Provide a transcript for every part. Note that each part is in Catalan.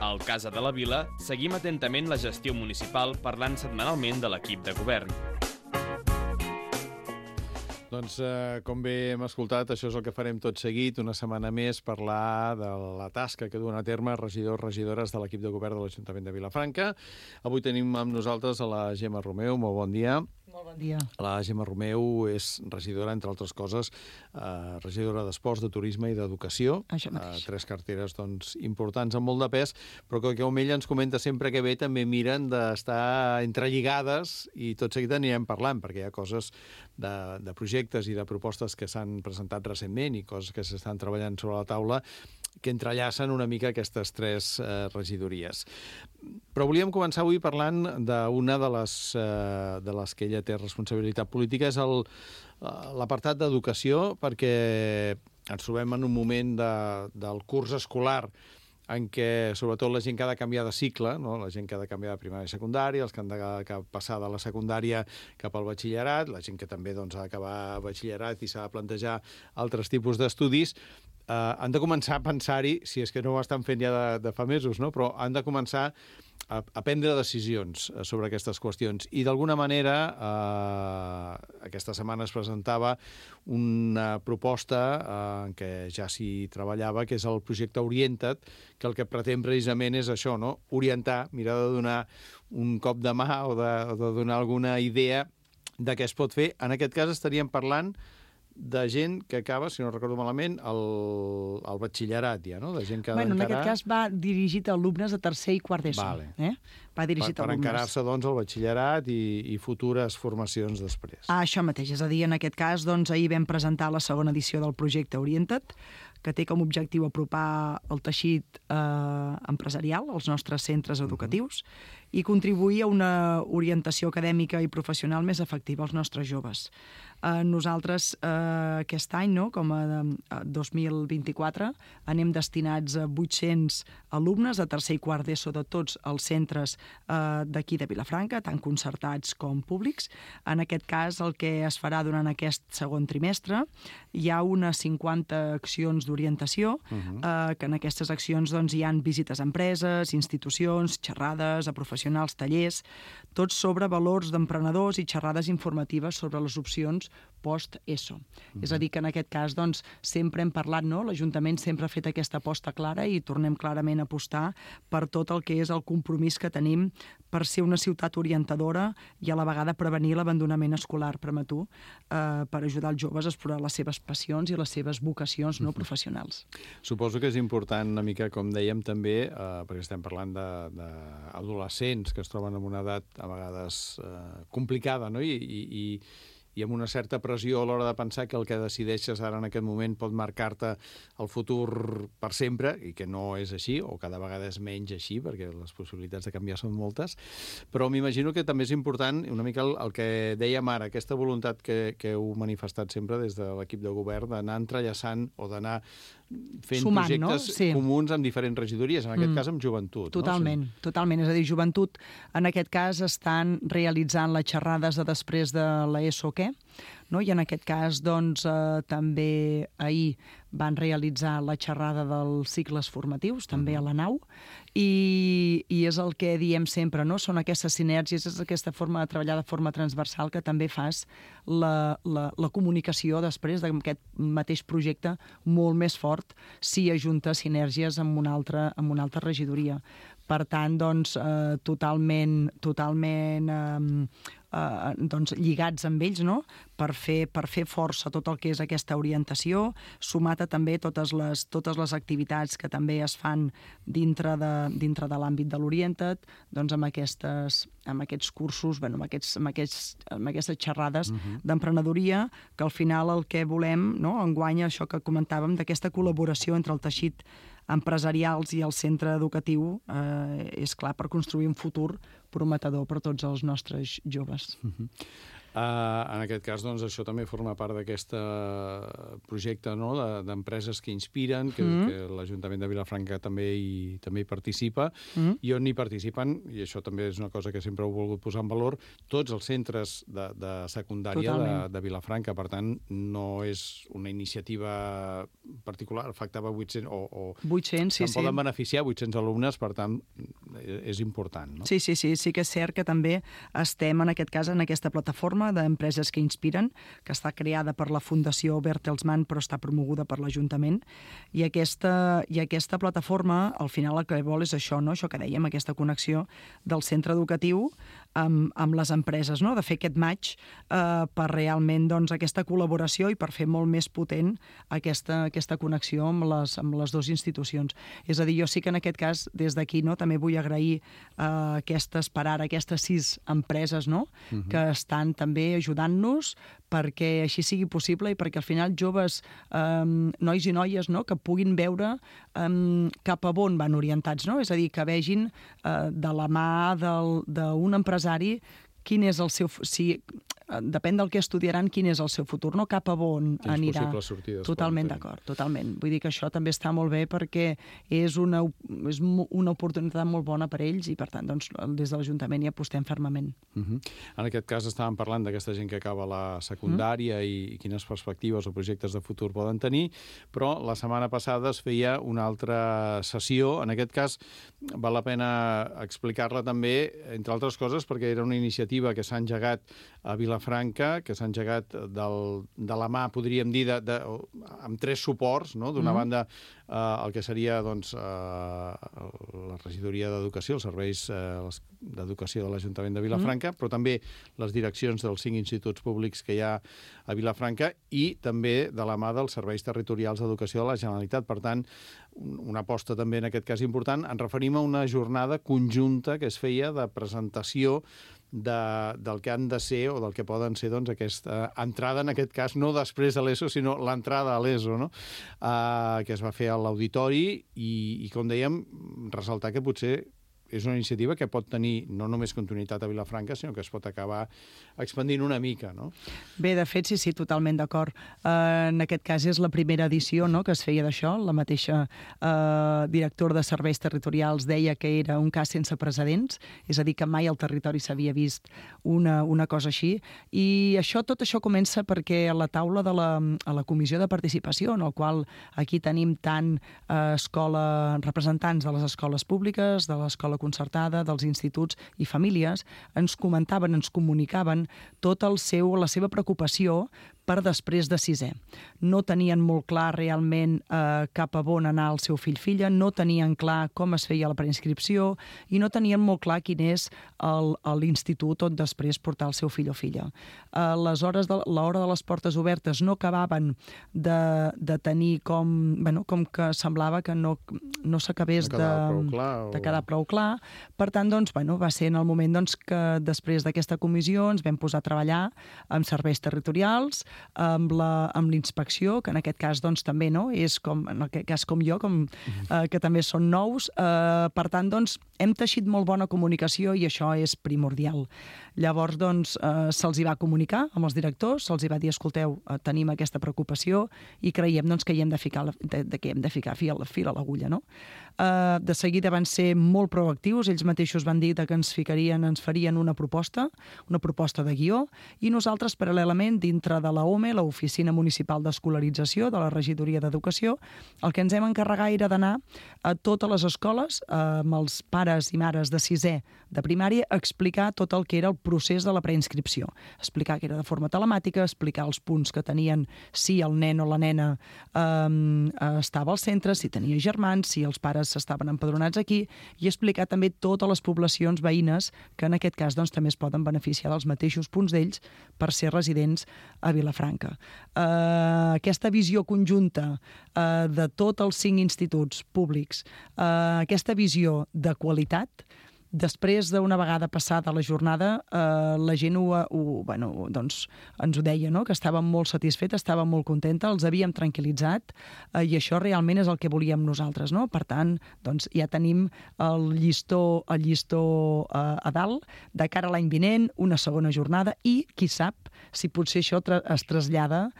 Al Casa de la Vila seguim atentament la gestió municipal parlant setmanalment de l'equip de govern. Doncs, com bé hem escoltat, això és el que farem tot seguit, una setmana més, parlar de la tasca que duen a terme regidors, regidores de l'equip de govern de l'Ajuntament de Vilafranca. Avui tenim amb nosaltres a la Gemma Romeu. Molt bon dia. Molt bon dia. La Gemma Romeu és regidora, entre altres coses, regidora d'Esports, de Turisme i d'Educació. Això mateix. 3 carteres doncs, importants amb molt de pes, però que com ella ens comenta sempre que ve, també miren d'estar entrelligades i tot seguit anirem parlant, perquè hi ha coses de projectes i de propostes que s'han presentat recentment i coses que s'estan treballant sobre la taula que entrellacen una mica aquestes 3 regidories. Però volíem començar avui parlant d'una de les que ella té responsabilitat política, és l'apartat d'educació, perquè ens trobem en un moment del curs escolar en què, sobretot, la gent que ha de canviar de cicle, no? La gent que ha de canviar de primària a secundària, els que han de passar de la secundària cap al batxillerat, la gent que també doncs, ha d'acabar batxillerat i s'ha de plantejar altres tipus d'estudis, han de començar a pensar-hi, si és que no ho estan fent ja de fa mesos, no? Però han de començar a prendre decisions sobre aquestes qüestions. I d'alguna manera, aquesta setmana es presentava una proposta en què ja s'hi treballava, que és el projecte Orienta't, que el que pretén precisament és això, no? Orientar, mirar de donar un cop de mà o de donar alguna idea de què es pot fer. En aquest cas estaríem parlant de gent que acaba, si no recordo malament, el batxillerat ja, no? De gent que ha en d'encarar... aquest cas va dirigit a alumnes de tercer i quart d'ESO. Vale. Va dirigit a per alumnes. encarar-se, doncs, al batxillerat i futures formacions després. Això mateix, és a dir, en aquest cas, doncs, ahir vam presentar la segona edició del projecte Orienta't, que té com a objectiu apropar el teixit empresarial als nostres centres educatius i contribuir a una orientació acadèmica i professional més efectiva als nostres joves. Nosaltres aquest any, no, com a 2024, anem destinats a 800 alumnes de tercer i quart d'ESO de tots els centres d'aquí de Vilafranca, tant concertats com públics. En aquest cas, el que es farà durant aquest segon trimestre, hi ha unes 50 accions d'orientació, que en aquestes accions doncs, hi ha visites a empreses, institucions, xerrades a professionals, tallers, tots sobre valors d'emprenedors i xerrades informatives sobre les opcions post-ESO. És a dir, que en aquest cas doncs, sempre hem parlat, no? L'Ajuntament sempre ha fet aquesta aposta clara i tornem clarament a apostar per tot el que és el compromís que tenim per ser una ciutat orientadora i a la vegada prevenir l'abandonament escolar prematur per ajudar els joves a explorar les seves passions i les seves vocacions no professionals. Suposo que és important una mica, com dèiem també, perquè estem parlant d'adolescents que es troben en una edat a vegades complicada, no? I amb una certa pressió a l'hora de pensar que el que decideixes ara en aquest moment pot marcar-te el futur per sempre, i que no és així, o cada vegada és menys així, perquè les possibilitats de canviar són moltes, però m'imagino que també és important una mica el que dèiem ara, aquesta voluntat que heu manifestat sempre des de l'equip de govern d'anar entrellaçant o d'anar fent sumant, projectes comuns amb diferents regidories, en aquest cas amb joventut. Totalment, no? Totalment. És a dir, joventut, en aquest cas, estan realitzant les xerrades de després de l'ESO què? No? I en aquest cas, doncs, també ahir van realitzar la xerrada dels cicles formatius, també a la nau, i és el que diem sempre, no? Són aquestes sinergies, és aquesta forma de treballar de forma transversal que també fas la comunicació després d'aquest mateix projecte molt més fort si ajunta sinergies amb una altra regidoria. Per tant, doncs, totalment lligats amb ells, no? per fer força tot el que és aquesta orientació, sumat a també totes les activitats que també es fan dintre de l'àmbit de l'Orienta't, doncs amb aquests cursos, amb aquestes xerrades d'emprenedoria, que al final el que volem, no? Enguany, això que comentàvem, d'aquesta col·laboració entre el teixit empresarials i el centre educatiu, és clar, per construir un futur prometedor per tots els nostres joves. En aquest cas, doncs, això també forma part d'aquest projecte, no?, d'empreses que inspiren, que l'Ajuntament de Vilafranca també hi participa, i on hi participen, i això també és una cosa que sempre he volgut posar en valor, tots els centres de secundària de Vilafranca. Per tant, no és una iniciativa particular, afectava 800 o 800, sí. Poden beneficiar 800 alumnes, per tant, és important, no? Sí que és cert que també estem, en aquest cas, en aquesta plataforma d'empreses que inspiren, que està creada per la Fundació Bertelsmann, però està promoguda per l'Ajuntament, i aquesta plataforma, al final, el que vol és això, no? Això que dèiem, aquesta connexió del centre educatiu amb les empreses, no? De fer aquest match per realment, doncs, aquesta col·laboració i per fer molt més potent aquesta connexió amb les dues institucions. És a dir, jo sí que en aquest cas, des d'aquí, no, també vull agrair aquestes 6 empreses, no?, que estan també ajudant-nos perquè així sigui possible i perquè al final joves, nois i noies, no?, que puguin veure cap a on van orientats, no? És a dir, que vegin de la mà d'un empresari quin és el seu... Depèn del que estudiaran, quin és el seu futur, no? Cap a on anirà. Quines possibles sortides. Totalment d'acord, totalment. Vull dir que això també està molt bé perquè és una oportunitat molt bona per ells i, per tant, doncs, des de l'Ajuntament hi apostem fermament. En aquest cas estàvem parlant d'aquesta gent que acaba la secundària i quines perspectives o projectes de futur poden tenir, però la setmana passada es feia una altra sessió. En aquest cas val la pena explicar-la també, entre altres coses, perquè era una iniciativa que s'ha engegat a Vilafranca, que s'ha engegat de la mà, podríem dir, amb 3 suports, no? D'una banda, el que seria, doncs, la regidoria d'Educació, els serveis d'educació de l'Ajuntament de Vilafranca, però també les direccions dels 5 instituts públics que hi ha a Vilafranca i també de la mà dels serveis territorials d'educació de la Generalitat. Per tant, una aposta també en aquest cas important. Ens referim a una jornada conjunta que es feia de presentació del que han de ser o del que poden ser, doncs, aquesta entrada, en aquest cas, no després de l'ESO, sinó l'entrada a l'ESO, no? Que es va fer a l'auditori i, com dèiem, ressaltar que potser és una iniciativa que pot tenir no només continuïtat a Vilafranca, sinó que es pot acabar expandint una mica, no? Bé, de fet, sí, totalment d'acord. En aquest cas és la primera edició, no?, que es feia d'això. La mateixa directora de serveis territorials deia que era un cas sense precedents, és a dir, que mai al territori s'havia vist una cosa així. I tot això comença perquè a la taula a la comissió de participació, en el qual aquí tenim tant representants de les escoles públiques, de l'escola concertada, dels instituts i famílies, ens comentaven, ens comunicaven tota la seva preocupació per després de 6è. No tenien molt clar realment cap a on anar el seu fill-filla, no tenien clar com es feia la preinscripció i no tenien molt clar quin és l'institut on després portar el seu fill o filla. L'hora de les portes obertes no acabaven de tenir com que semblava que no s'acabés de quedar prou clar. Per tant, doncs, va ser en el moment que després d'aquesta comissió ens vam posar a treballar amb serveis territorials, amb l'inspecció, que en aquest cas doncs, també és en aquest cas com jo, que també són nous. Per tant, doncs, hem teixit molt bona comunicació i això és primordial. Llavors, doncs, se'ls hi va comunicar amb els directors, se'ls hi va dir, escolteu, tenim aquesta preocupació i creiem doncs, que hi hem de ficar fil a l'agulla, no? De seguida van ser molt proactius, ells mateixos van dir que ens farien una proposta de guió, i nosaltres, paral·lelament, dintre de l'OME, l'Oficina Municipal d'Escolarització de la Regidoria d'Educació, el que ens hem encarregat era d'anar a totes les escoles, amb els pares i mares de 6è de primària, a explicar tot el que era el procés de la preinscripció. Explicar que era de forma telemàtica, explicar els punts que tenien, si el nen o la nena estava al centre, si tenia germans, si els pares estaven empadronats aquí, i explicar també totes les poblacions veïnes que en aquest cas doncs, també es poden beneficiar dels mateixos punts d'ells per ser residents a Vilafranca. Aquesta visió conjunta de tots els 5 instituts públics, aquesta visió de qualitat, després d'una vegada passada la jornada, la gent doncs, ens ho deia, no? Que estava molt satisfeta, estava molt contenta, els havíem tranquil·litzat, i això realment és el que volíem nosaltres, no? Per tant, doncs, ja tenim el llistó a dalt, de cara a l'any vinent, una segona jornada, i qui sap si potser això es trasllada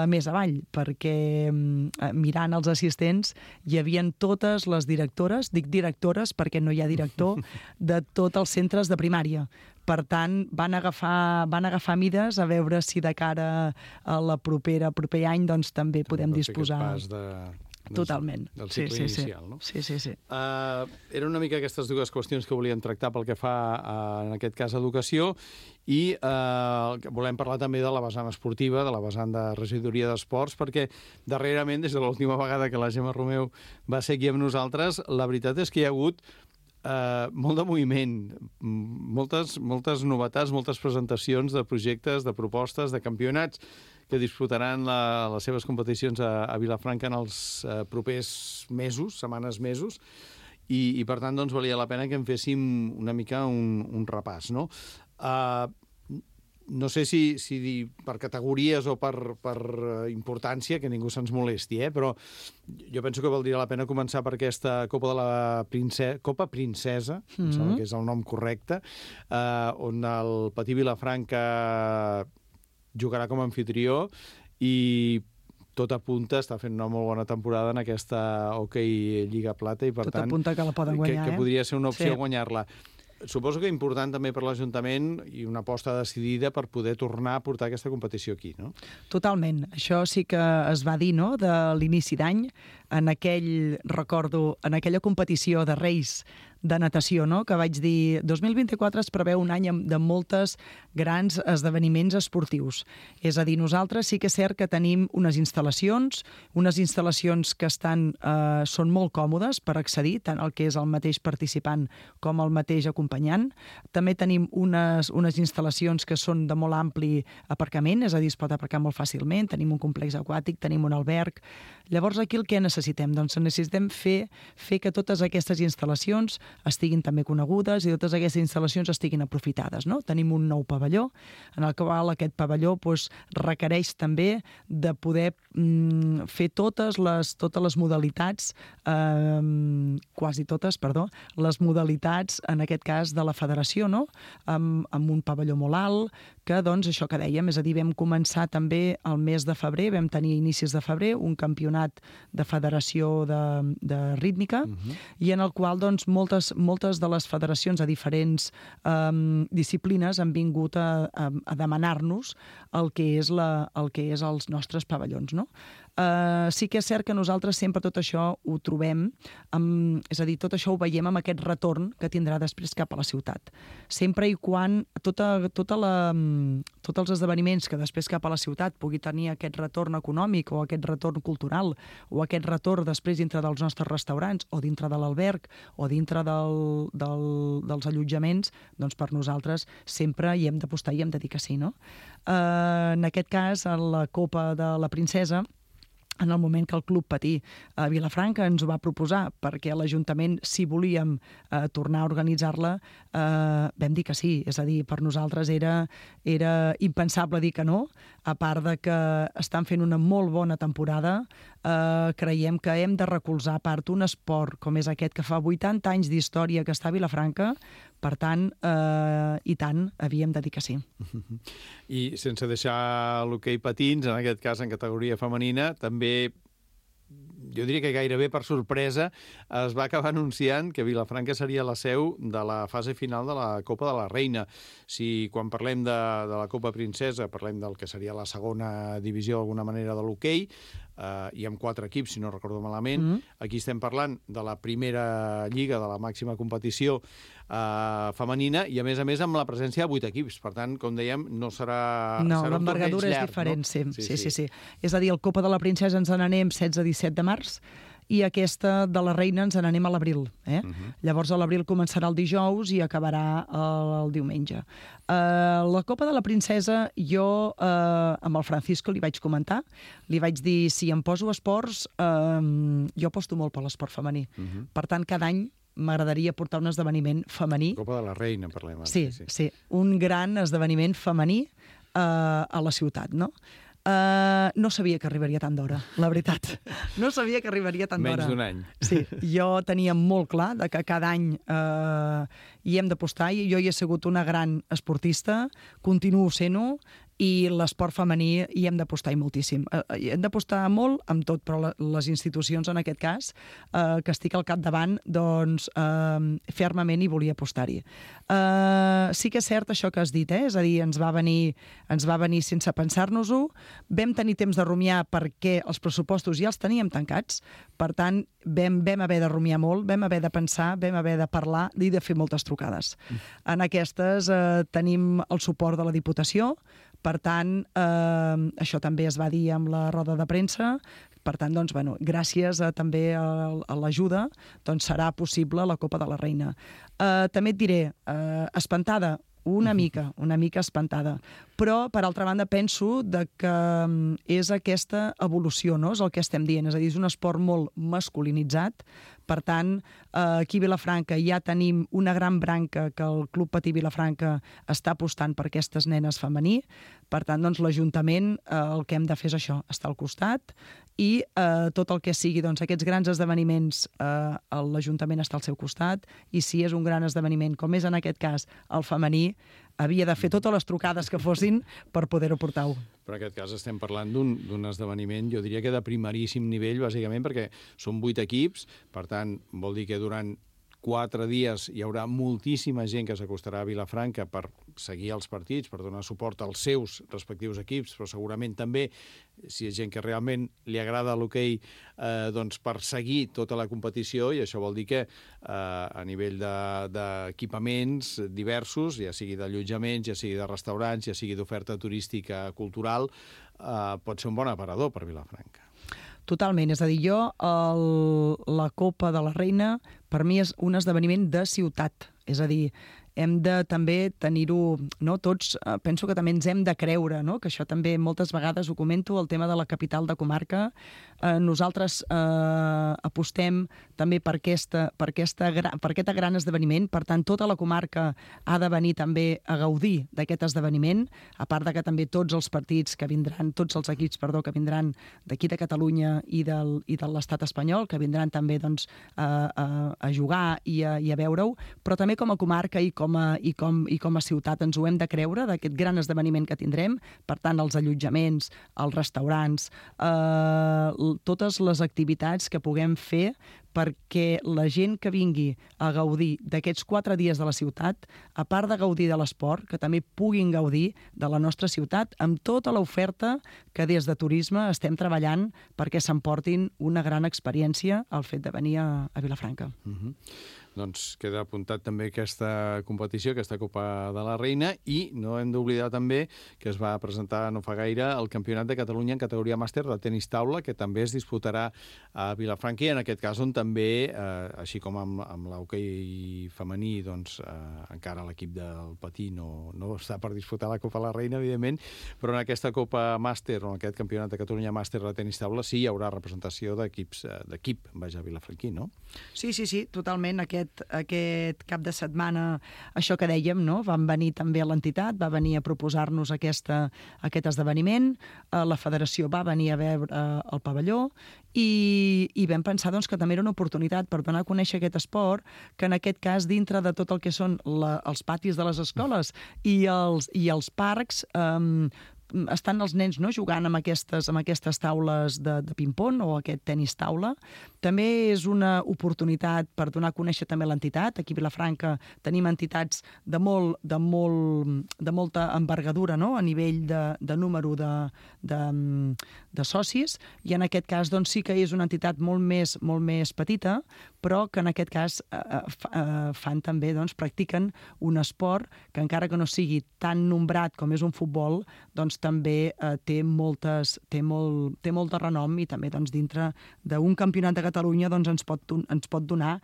més avall, perquè mirant els assistents hi havien totes les directores, dic directores perquè no hi ha director, de tots els centres de primària. Per tant, van agafar mides a veure si de cara a proper any doncs, també podem disposar... Totalment. Del cicle inicial, no? Sí. Eren una mica aquestes dues qüestions que volíem tractar pel que fa, en aquest cas, a educació, i volem parlar també de la vessant esportiva, de la vessant de regidoria d'esports, perquè darrerament, des de l'última vegada que la Gemma Romeu va ser aquí amb nosaltres, la veritat és que hi ha hagut molt de moviment, moltes novetats, moltes presentacions de projectes, de propostes, de campionats que disputaran les seves competicions a Vilafranca en els propers setmanes, mesos, i per tant doncs, valia la pena que en féssim una mica un repàs, no? No sé si per categories o per importància, que ningú se'ns molesti, però jo penso que valdria la pena començar per aquesta Copa de la Copa Princesa, em sembla que és el nom correcte, on el Patí Vilafranca jugarà com a anfitrió i tot apunta, està fent una molt bona temporada en aquesta Hockey Lliga Plata i per tant... Tot apunta que la poden guanyar, que podria ser una opció guanyar-la. Suposo que important també per l'Ajuntament i una aposta decidida per poder tornar a portar aquesta competició aquí, no? Totalment. Això sí que es va dir, no?, de l'inici d'any, en aquella competició de Reis de natació, no?, que vaig dir 2024 es preveu un any de moltes grans esdeveniments esportius. És a dir, nosaltres sí que és cert que tenim unes instal·lacions que són molt còmodes per accedir, tant el que és el mateix participant com el mateix acompanyant. També tenim unes instal·lacions que són de molt ampli aparcament, és a dir, es pot aparcar molt fàcilment, tenim un complex aquàtic, tenim un alberg. Llavors, aquí el que necessitem? Doncs necessitem fer que totes aquestes instal·lacions estiguin també conegudes i totes aquestes instal·lacions estiguin aprofitades, no? Tenim un nou pavelló, en el qual aquest pavelló requereix també de poder fer totes les modalitats, quasi totes, les modalitats, en aquest cas, de la federació, no? Amb un pavelló molt alt, que, doncs, això que dèiem, és a dir, vam començar també el mes de febrer, vam tenir a inicis de febrer un campionat de federació de rítmica, i en el qual, doncs, moltes de les federacions a diferents disciplines han vingut a demanar-nos el que és els nostres pavellons, no? Sí que és cert que nosaltres sempre tot això ho trobem, és a dir, tot això ho veiem amb aquest retorn que tindrà després cap a la ciutat. Sempre i quan tots els esdeveniments que després cap a la ciutat pugui tenir aquest retorn econòmic o aquest retorn cultural o aquest retorn després dintre dels nostres restaurants o dintre de l'alberg o dintre dels allotjaments, doncs per nosaltres sempre hi hem d'apostar i hem de dir que sí, no? En aquest cas, a la Copa de la Princesa, en el moment que el Club Patí a Vilafranca ens ho va proposar perquè l'Ajuntament, si volíem tornar a organitzar-la, vam dir que sí. És a dir, per nosaltres era impensable dir que no, a part de que estan fent una molt bona temporada. Creiem que hem de recolzar a part un esport com és aquest, que fa 80 anys d'història que està a Vilafranca. Per tant, i tant, havíem de dir que sí. I sense deixar l'hoquei patins, en aquest cas en categoria femenina, també, jo diria que gairebé per sorpresa, es va acabar anunciant que Vilafranca seria la seu de la fase final de la Copa de la Reina. Si quan parlem de la Copa Princesa parlem del que seria la segona divisió d'alguna manera de l'hoquei, i amb 4 equips, si no recordo malament. Aquí estem parlant de la primera lliga, de la màxima competició femenina, i a més amb la presència de 8 equips. Per tant, com dèiem, no serà no, l'envergadura és diferent, no? Sí. És a dir, el Copa de la Princesa ens n'anem 16-17 de març, i aquesta de la Reina ens n'anem a l'abril. Llavors, a l'abril començarà el dijous i acabarà el diumenge. La Copa de la Princesa, jo amb el Francisco li vaig comentar, li vaig dir, si em poso esports, jo aposto molt per l'esport femení. Per tant, cada any m'agradaria portar un esdeveniment femení. Copa de la Reina, parlem ara. Sí. Un gran esdeveniment femení a la ciutat, no? No sabia que arribaria tant d'hora, la veritat. No sabia que arribaria tant d'hora. Menys d'un any. Sí, jo tenia molt clar que cada any hi hem d'apostar, i jo hi he sigut una gran esportista, continuo sent-ho, i l'esport femení hi hem d'apostar moltíssim. Hi hem d'apostar molt amb tot, però les institucions, en aquest cas, que estic al capdavant, doncs, fermament hi volia apostar-hi. Sí que és cert això que has dit, és a dir, ens va venir sense pensar-nos-ho, vam tenir temps de rumiar perquè els pressupostos ja els teníem tancats, per tant, vam haver de rumiar molt, vam haver de pensar, vam haver de parlar i de fer moltes trucades. En aquestes tenim el suport de la Diputació. Per tant, això també es va dir amb la roda de premsa. Per tant, doncs, bueno, gràcies també a l'ajuda, doncs serà possible la Copa de la Reina. També et diré, espantada, una mica espantada. Però, per altra banda, penso que és aquesta evolució, no? És el que estem dient. És a dir, és un esport molt masculinitzat. Per tant, aquí a Vilafranca ja tenim una gran branca que el Club Patí Vilafranca està apostant per aquestes nenes femení. Per tant, doncs, l'Ajuntament el que hem de fer és això, estar al costat, i tot el que sigui doncs, aquests grans esdeveniments, l'Ajuntament està al seu costat, i si és un gran esdeveniment, com és en aquest cas el femení, havia de fer totes les trucades que fossin per poder-ho portar-ho. Però en aquest cas estem parlant d'un esdeveniment, jo diria que de primeríssim nivell, bàsicament, perquè són 8 equips, per tant, vol dir que durant 4 dies hi haurà moltíssima gent que s'acostarà a Vilafranca per seguir els partits, per donar suport als seus respectius equips, però segurament també, si és gent que realment li agrada l'hoquei, doncs per seguir tota la competició, i això vol dir que a nivell d'equipaments diversos, ja sigui d'allotjaments, ja sigui de restaurants, ja sigui d'oferta turística cultural, pot ser un bon aparador per Vilafranca. Totalment, és a dir, la Copa de la Reina per mi és un esdeveniment de ciutat, és a dir, hem de també tenir-ho, no? Tots penso que també ens hem de creure, no? Que això també moltes vegades ho comento, el tema de la capital de comarca. Nosaltres apostem també per aquest gran esdeveniment, per tant, tota la comarca ha de venir també a gaudir d'aquest esdeveniment, a part de que també tots els partits que vindran, tots els equips, que vindran d'aquí de Catalunya i de l'estat espanyol, que vindran també doncs, a jugar i a veure-ho, però també com a comarca i com a ciutat ens ho hem de creure, d'aquest gran esdeveniment que tindrem. Per tant, els allotjaments, els restaurants, totes les activitats que puguem fer perquè la gent que vingui a gaudir d'aquests 4 dies de la ciutat, a part de gaudir de l'esport, que també puguin gaudir de la nostra ciutat amb tota l'oferta que des de turisme estem treballant perquè s'emportin una gran experiència al fet de venir a Vilafranca. Doncs queda apuntat també aquesta competició, aquesta Copa de la Reina, i no hem d'oblidar també que es va presentar no fa gaire el Campionat de Catalunya en categoria màster de tenis taula, que també es disputarà a Vilafranca, i en aquest cas on també, així com amb l'hoquei femení, doncs encara l'equip del Patí no està per disputar la Copa de la Reina, evidentment, però en aquesta Copa màster, o en aquest Campionat de Catalunya màster de tenis taula, sí hi haurà representació d'equip, vilafranquí, no? Sí, totalment. Aquest cap de setmana, això que dèiem, no? Van venir també a l'entitat, va venir a proposar-nos aquest esdeveniment, la federació va venir a veure el pavelló i vam pensar doncs, que també era una oportunitat per donar a conèixer aquest esport, que en aquest cas, dintre de tot el que són els patis de les escoles i els parcs, estan els nens, no?, jugant amb aquestes taules de ping-pong o aquest tenis taula. També és una oportunitat per donar a conèixer també l'entitat. Aquí a Vilafranca tenim entitats de molta envergadura, no?, a nivell de número de socis, i en aquest cas doncs, sí que és una entitat molt més petita, però que en aquest cas fan també, doncs, practiquen un esport que encara que no sigui tan nombrat com és un futbol, doncs també té molt de renom, i també doncs, dintre d'un campionat de Catalunya doncs, ens pot donar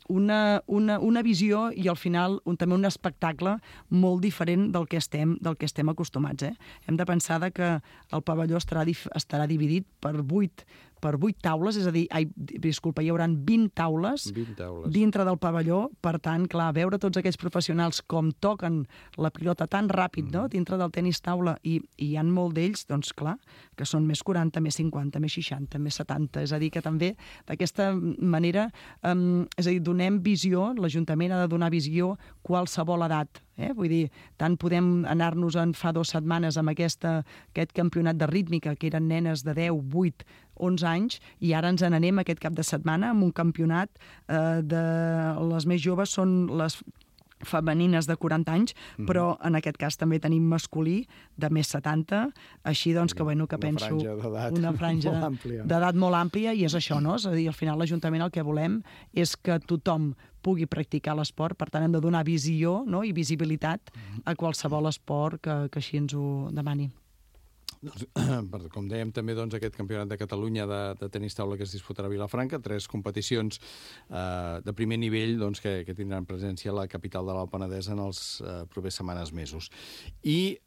una visió i al final també un espectacle molt diferent del que estem acostumats. Hem de pensar que el pavelló estarà dividit per 8 taules, és a dir, hi haurà 20 taules dintre del pavelló. Per tant, clar, veure tots aquells professionals com toquen la pilota tan ràpid, no?, dintre del tenis taula, i hi ha molt d'ells, doncs clar, que són més 40, més 50, més 60, més 70. És a dir, que també d'aquesta manera, és a dir, donem visió, l'Ajuntament ha de donar visió qualsevol edat. Vull dir, tant podem anar-nos-en fa 2 setmanes amb aquest campionat de rítmica, que eren nenes de 10, 8, 11 anys, i ara ens n'anem aquest cap de setmana amb un campionat de les més joves, són les femenines de 40 anys, però en aquest cas també tenim masculí de més 70, així doncs que penso una franja d'edat molt àmplia, i és això, no? És a dir, al final l'Ajuntament el que volem és que tothom pugui practicar l'esport, per tant hem de donar visió, no?, i visibilitat a qualsevol esport que així ens ho demani. Com dèiem també, aquest campionat de Catalunya de tenis taula que es disputarà a Vilafranca, 3 competicions de primer nivell que tindran presència a la capital de l'Alt Penedès en els propers setmanes, mesos. I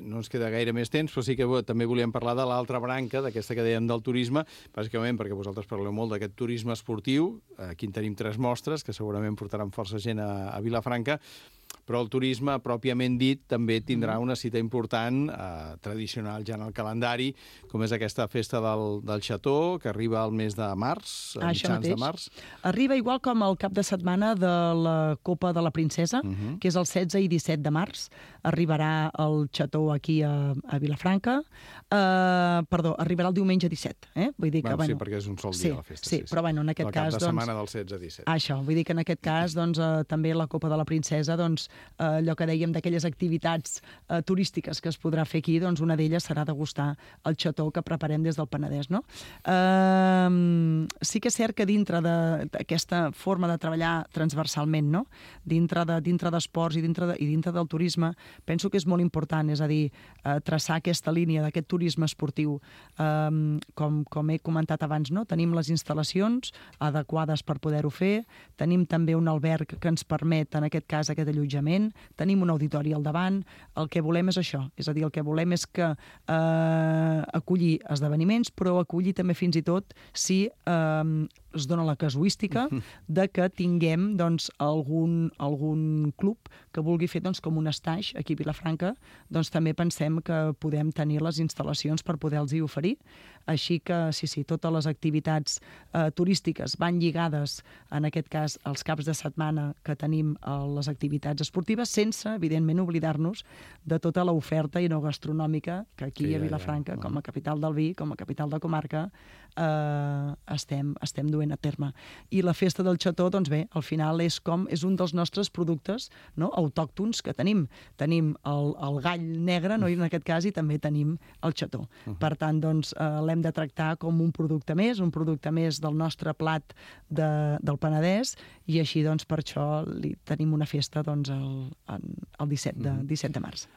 no ens queda gaire més temps, però sí que també volíem parlar de l'altra branca, d'aquesta que dèiem del turisme, bàsicament perquè vosaltres parleu molt d'aquest turisme esportiu. Aquí en tenim 3 mostres que segurament portaran força gent a Vilafranca, però el turisme, pròpiament dit, també tindrà una cita important, tradicional ja en el calendari, com és aquesta festa del Xató, que arriba al mes de març, a mitjans de març. Arriba igual com el cap de setmana de la Copa de la Princesa, que és el 16 i 17 de març. Arribarà el Xató aquí a Vilafranca. Perdó, arribarà el diumenge 17. Vull dir que, sí, perquè és un sol dia la festa. Sí, però en aquest cas... El cap de setmana del 16 a 17. Això, vull dir que en aquest cas també la Copa de la Princesa, allò que dèiem d'aquelles activitats turístiques que es podrà fer aquí, una d'elles serà degustar el xató que preparem des del Penedès, no? Sí que és cert que dintre d'aquesta forma de treballar transversalment, no?, dintre d'esports i dintre del turisme, penso que és molt important, és a dir, traçar aquesta línia d'aquest turisme esportiu. Com he comentat abans, no?, tenim les instal·lacions adequades per poder-ho fer, tenim també un alberg que ens permet, en aquest cas, aquest allotjament, tenim un auditori al davant. El que volem és això, és a dir, el que volem és que acollir esdeveniments, però acollir també fins i tot si es dona la casuística de que tinguem algun club que vulgui fer com un stage aquí a Vilafranca, també pensem que podem tenir les instal·lacions per poder-los-hi oferir. Així que, sí, totes les activitats turístiques van lligades, en aquest cas, als caps de setmana que tenim les activitats esportives, sense, evidentment, oblidar-nos de tota l'oferta gastronòmica que aquí a Vilafranca, com a capital del vi, com a capital de comarca, estem duent a terme. I la festa del xató, bé, al final és un dels nostres productes, no?, autòctons que tenim. Tenim el gall negre, no?, i en aquest cas, i també tenim el xató. Per tant, l'hem de tractar com un producte més del nostre plat del Penedès, i així, per això, tenim una festa el 17 de març.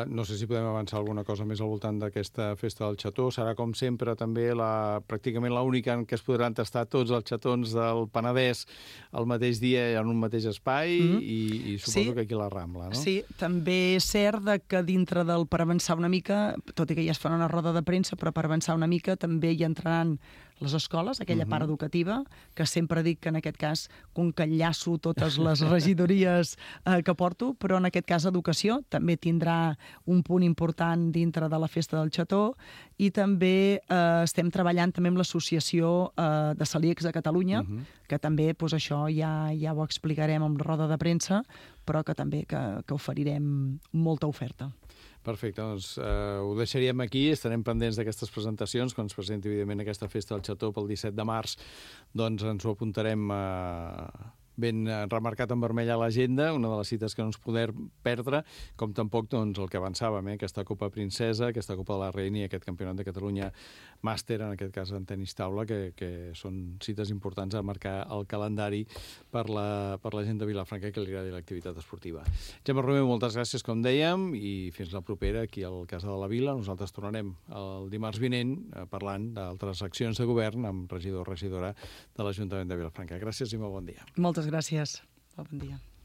No sé si podem avançar alguna cosa més al voltant d'aquesta festa del xató. Serà, com sempre, també pràcticament l'única en què es podran tastar tots els xatons del Penedès el mateix dia i en un mateix espai, i suposo que aquí a la Rambla, no? Sí, també és cert que dintre per avançar una mica, tot i que ja es farà una roda de premsa, però per avançar una mica també hi entraran les escoles, aquella part educativa, que sempre dic que en aquest cas, com que enllaço totes les regidories que porto, però en aquest cas educació també tindrà un punt important dintre de la festa del xató, i també estem treballant també amb l'associació de celíacs de Catalunya, que també això ja ho explicarem amb la roda de premsa, però que també que oferirem molta oferta. Perfecte, ho deixaríem aquí, estarem pendents d'aquestes presentacions, quan es presenti, evidentment, aquesta festa del xató pel 17 de març, ens ho apuntarem ben remarcat en vermell a l'agenda, una de les cites que no ens podem perdre, com tampoc doncs, el que avançàvem, aquesta Copa Princesa, aquesta Copa de la Reina i aquest Campionat de Catalunya màster, en aquest cas en tenis taula, que són cites importants a marcar el calendari per la gent de Vilafranca que li agradi l'activitat esportiva. Gemma Romeu, moltes gràcies, com dèiem, i fins la propera aquí al Casa de la Vila. Nosaltres tornarem el dimarts vinent parlant d'altres accions de govern amb regidor o regidora de l'Ajuntament de Vilafranca. Gràcies i molt bon dia. Moltes gràcies. Bon dia.